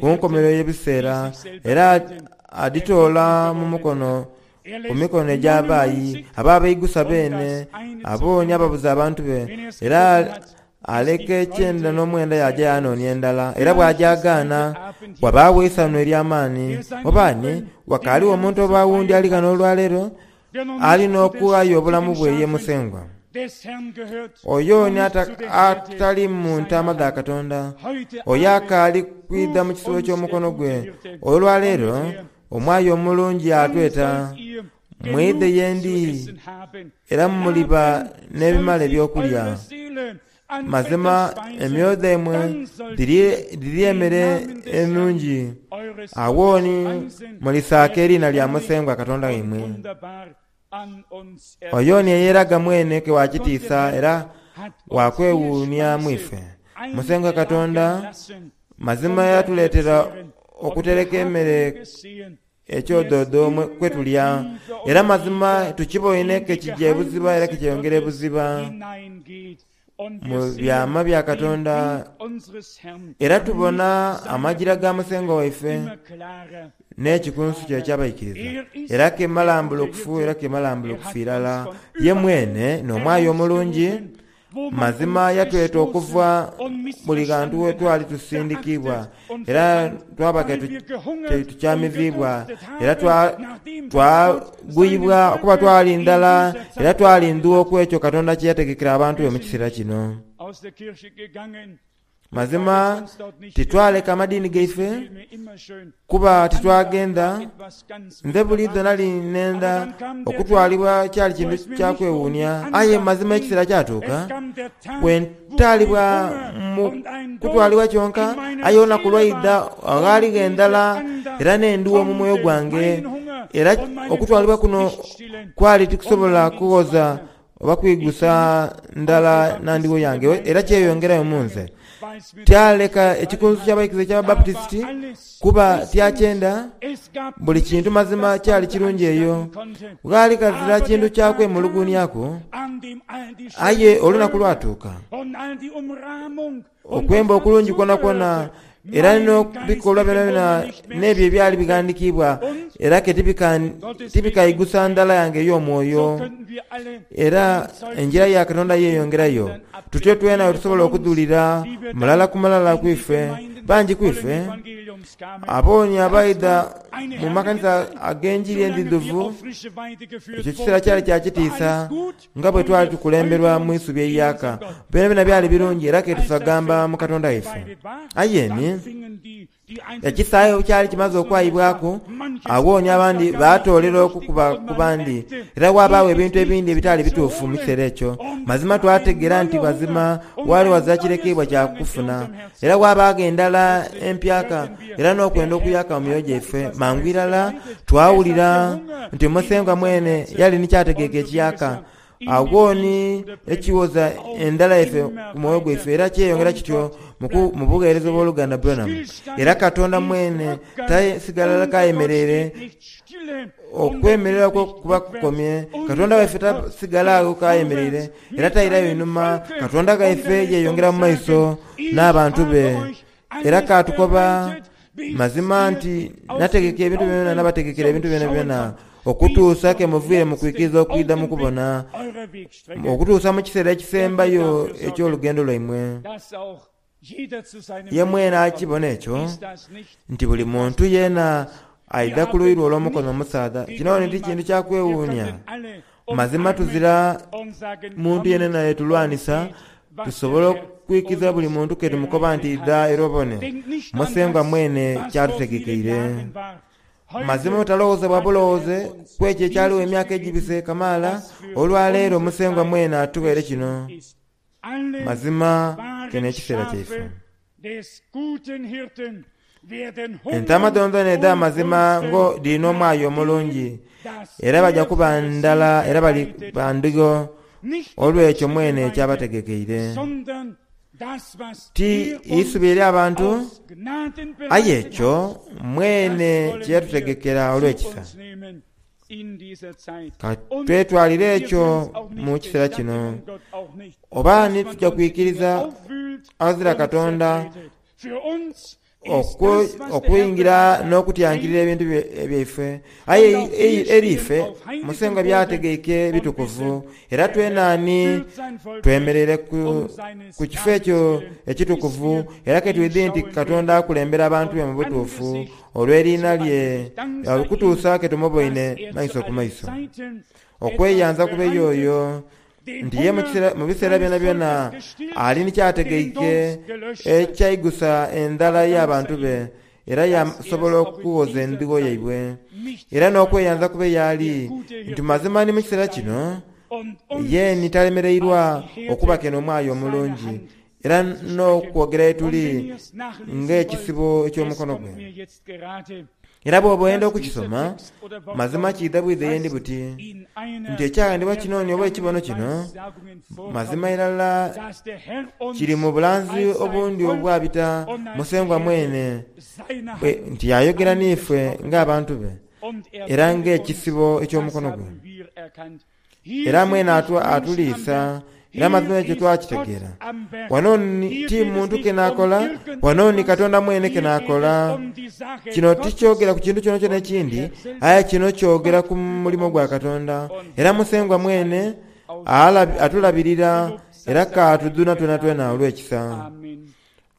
S2: ku nkomerero y'ebiseera, era adhitoola mu mukono ku mikono egy'abaayi abaabaigusa beene, abo ni ababuza abantu be, era aleka ekyenda n'omwenda yaaja yaanoonia endala. Era bw'agyagaana, wabaagho eisanhu ery'amaani. Oba ni ghakaaligho omuntu oba awundi ali ghano olwaleero Ali n'okughaayo obulamu bwe ye Musengwa. Oyo ni atali mu ntaama dha Katonda, oyo akaali kwidha mu kisibo ky'omukono gwe. Olwaleero omwayi omulungi atweta, Mwidhe ye ndi, era muliba n'ebimala eby'okulya. Mazima emyoyo dhaimwe dhirye emere enungi. Agho ni mulisaaka eriina lya Musengwa Katonda waimwe. Oyo ni eyeeraga mwene ke wa kitiisa era wa kwewuunhia mu ife. Musengwa Katonda mazima yatuleetera okutereka emere Ekyodhoodho kwe tulya, era mazima tukiboine ke kija ebuziba era ke kyeyongera ebuziba mu byama bya Katonda, era tubona amajira ga Musengwa waife n'ekikunsu kye eky'abaikiriza, era ke malambulukufu era ke malambulukufu irala. Ye mwene n'omwayi omulungi. Mazima yatweta okuva buli ghantu we twali tusindikiibwa, era twaba ke tukyamiziibwa, era twaguyibwa kuba twali ndhala era twali ndhu ku ekyo Katonda kye yategekera abantu be mu kiseera kino. Mazima titwaleka madiini gaife kuba titwagenda. Nze buliidho nali nenda okutwalibwa kyali kintu kya kwewuunia, aye mazima ekiseera kyatuuka bwe ntaalibwa mu kutwalibwa kyonka, aye olunaku lwaidha aghaaligho endhala era n'endhugho mu mwoyo gwange, era okutwalibwa kuno kwali tikusobola kughoza oba kwigusa ndhala na ndigho yange, era kyeyongerayo mu nze. Tyaleka ekikunsu ky'abaikiriza eky'Ababaputisiti, kuba tyakyenda. Buli kintu mazima kyali kirungi eyo. Ghaali ghazira kintu kya kwemuluguunhiaku. Aye olunaku lwatuuka. Okwemba okulungi kwonakwona era n'ebikolwa byonabyona n'ebyo ebyali bighandikiibwa, era ke tibikaigusa ndhala yange ey'omwoyo. Era engira ya Katonda yeeyongerayo. Tutyo twena bwe tusobola okudhulira mulala ku mulala ku ife, bangi ku ife. Abooni abaidha mu makanisa ag'enjiri endhidhuvu, ekyo kiseera kyali kya kitiisa nga bwe twali tukulemberwa mu isubi eiyaaka. Byonabyona byali birungi era ketusagamba mu Katonda waife. Aye ni. Ekisaawe bwe kyali kimaze okwayibwaku, agho ni abandi baatoolera okukuba ku bandi, era ghabaagho ebintu ebindi ebitaali bituufu mu kiseera ekyo. Mazima twategeera nti mazima waali ghazira kirekeibwa kya kufuna, era ghabaagho endhala empyaka era n'okwenda okuyaka mu myoyo gyaife. Mangu irala twawulira nti Musengwa mwene yali ni ky'ategeike ekiyaka. Agho ni ekiwoza endhala yaife ku mwoyo gwaife era kyeyongera kityo mu bugheereza obw'oluganda Branham. Era Katonda mwene tasigala k'ayemereire, okwemerera kwe kuba kukomye. Katonda waife tasigala agho k'ayemereire era tairayo inhuma. Katonda ghaife yeyongera mu maiso n'abantu be. Era kaatukoba mazima nti nategeka ebintu byonabyona, nabategekera ebintu byonabyona, okutuusa ke muviire mu kwikiriza okwidha mu kubona, okutuusa mu kiseera ekisembayo eky'olugendo lwaimwe. Ye mwene akibona ekyo, nti buli muntu yeena aidha ku luuyi lwe olw'omukono omusaadha. Kino ni ti kintu kya kwewuunia. Mazima tuzira muntu yenayena ye tulwanisa, tusobola okwikiza buli muntu ke tumukoba nti idha era obone Musengwa mwene ky'atutegekeire. Mazima otalowooza bwa bulowooze ku ekyo ekyaligho emyaka egibise kamaala, olwaleero Musengwa mwene atughaire kino. Mazima kino n'ekiseera kyaife. Entaama dhoonadhoona edh'amazima ngo dhiri n'omwayi omulungi, era baja kuba ndala era bali ba ndhigo olw'ekyo mwene ky'abategekeire. Ti isubi eri abantu, aye ekyo mwene kye yatutegekera olw'ekisa. Ka twetwalire ekyo mu kiseera kino. Oba ni tuja kwikiriza aghazira Katonda okwingira n'okutyankirira ebintu byaife. Aye eri ife, Musengwa by'ategeike bitukuvu, era twena ni twemereire ku kifo ekyo ekitukuvu, era ke twidhi nti Katonda akulembera abantu be mu butuufu olw'eriina lye, okutuusa ke tumuboine maiso ku maiso. Okweyanza kube y'oyo nti ye mu biseera byonabyona ali ni ky'ategeike ekyaigusa endhala y'abantu be, era yaasobola okuwoza endhigo yaibwe. Era n'okweyanza kube y'ali nti mazima ni mu kiseera kino ye ni talemereirwa okubakena omwayi omulungi, era n'okwogera ye tuli ng'ekisibo eky'omukono gwe. Era bw'oba oyenda okukisoma, mazima kiidha bwidhe ye ndi buti, nti ekyaghandiibwa kino ni oba ekibono kino, mazima irala kiri mu bulanzi obundi obwabita Musengwa mwene bwe nti yayogera n'ife ng'abantu be era ng'ekisibo eky'omukono gwe. Era mwene atuliisa, era amazima ekyo twakitegeera. Wano ni ti muntu ke n'akola, wano ni Katonda mwene ke n'akola. Kino tikyogera ku kintu kyonakyona ekindi, aye kino kyogera ku mulimo gwa Katonda. Era Musengwa mwene atulabirira era k'atudhuna twenatwena olw'ekisa.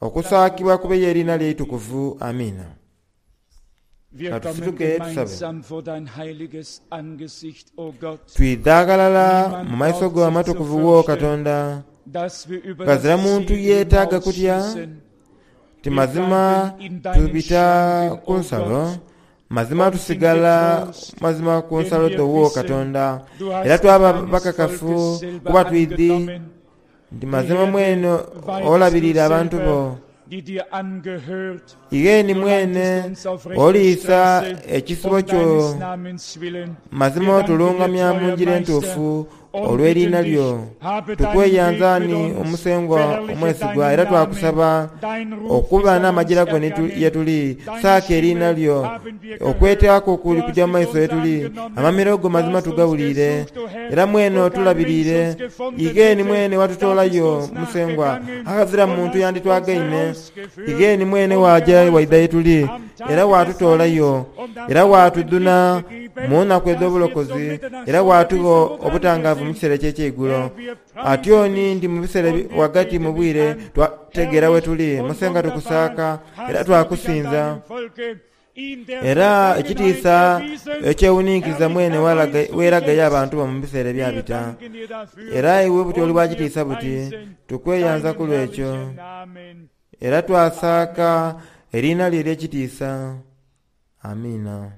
S2: Okusaakibwa kube y'eriina lye eitukuvu. Amiina.
S1: Wir
S2: Ka
S1: kommen
S2: tusituke tusabe.
S1: gemeinsam vor dein heiliges Angesicht, o Gott.
S2: Twidha ghalala mu
S1: Niemand
S2: maiso
S1: braucht
S2: go
S1: sich zu
S2: amatukuvu wo
S1: fürchten,
S2: Katonda.
S1: dass wir über
S2: Ghazira
S1: das
S2: muntu
S1: Ziel
S2: yeetaaga kutya
S1: hinausschießen.
S2: nti
S1: Wir
S2: mazima
S1: bleiben in deinen
S2: tubita
S1: Schranken,
S2: ku
S1: o
S2: nsalo,
S1: Gott,
S2: mazima
S1: und sind
S2: tusigala
S1: getrost,
S2: mazima ku
S1: denn
S2: nsalo
S1: wir
S2: dho wo
S1: wissen,
S2: Katonda.
S1: du
S2: Era
S1: hast dich
S2: twaba
S1: deines
S2: bakakafu
S1: Volkes selber
S2: kuba twidhi
S1: angenommen.
S2: nti
S1: Die
S2: mazima
S1: Herde
S2: mwene
S1: weidest du
S2: olabirira abantu
S1: selber,
S2: bo.
S1: die dir angehört.
S2: Ighe ni
S1: Du
S2: mwene
S1: leitest uns auf rechter
S2: oliisa
S1: Straße,
S2: ekisibo
S1: um
S2: kyo,
S1: deines Namens willen.
S2: mazima
S1: Wir danken dir,
S2: otulungamya mu
S1: treuer
S2: ngira
S1: Meister,
S2: entuufu
S1: und
S2: olw'eriina
S1: bitten dich,
S2: lyo.
S1: habe deinen Weg
S2: Tukweyanza
S1: mit
S2: ni
S1: uns,
S2: Omusengwa
S1: verherrliche
S2: omwesigwa
S1: deinen
S2: era
S1: Namen.
S2: twakusaba
S1: Dein Ruf
S2: okuba
S1: ist an uns
S2: n'amajira go ni
S1: ergangen,
S2: ye tuli.
S1: deine
S2: Saaka eriina
S1: Stimme
S2: lyo.
S1: haben wir gehört.
S2: Okwetaku kuli
S1: Du hast
S2: kuja mu
S1: dich
S2: maiso
S1: uns
S2: ye tuli.
S1: angenommen,
S2: Amamiro go
S1: du
S2: mazima
S1: hast uns
S2: tugawuliire.
S1: gesucht, o Herr,
S2: Era mwene
S1: wo kein Mensch
S2: otulabiriire.
S1: uns gefunden
S2: Ighe ni
S1: hätte,
S2: mwene
S1: da bist du
S2: watutoolayo,
S1: uns
S2: Musengwa,
S1: nachgegangen
S2: aghazira
S1: und
S2: muntu
S1: hast uns
S2: yanditwagaine.
S1: herausgeführt
S2: Ighe ni mwene
S1: und
S2: waaja waidha ye
S1: geholfen
S2: tuli,
S1: am
S2: era
S1: Tage des Heils
S2: waatutoolayo,
S1: und am
S2: era
S1: Abend
S2: waatudhuna
S1: Licht gegeben,
S2: mu nnaku
S1: dass wir zur
S2: edh'obulokozi, era
S1: Mitternachtsstunde
S2: waatugha
S1: wissen, woran wir
S2: obutangaavu. mu kiseera eky'ekyeigulo. Atyoni nti mu biseera ghagati mu bwire twategeera we tuli. Musengwa tukusaaka era twakusinza. Era ekitiisa ekyewuninkiriza mwene weeraga ye abantu bo mu biseera ebyabita. Era iwe buti oli wa kitiisa buti, tukweyanza ku lw'ekyo. Era twasaaka eriina lyo ery'ekitiisa. Amiina.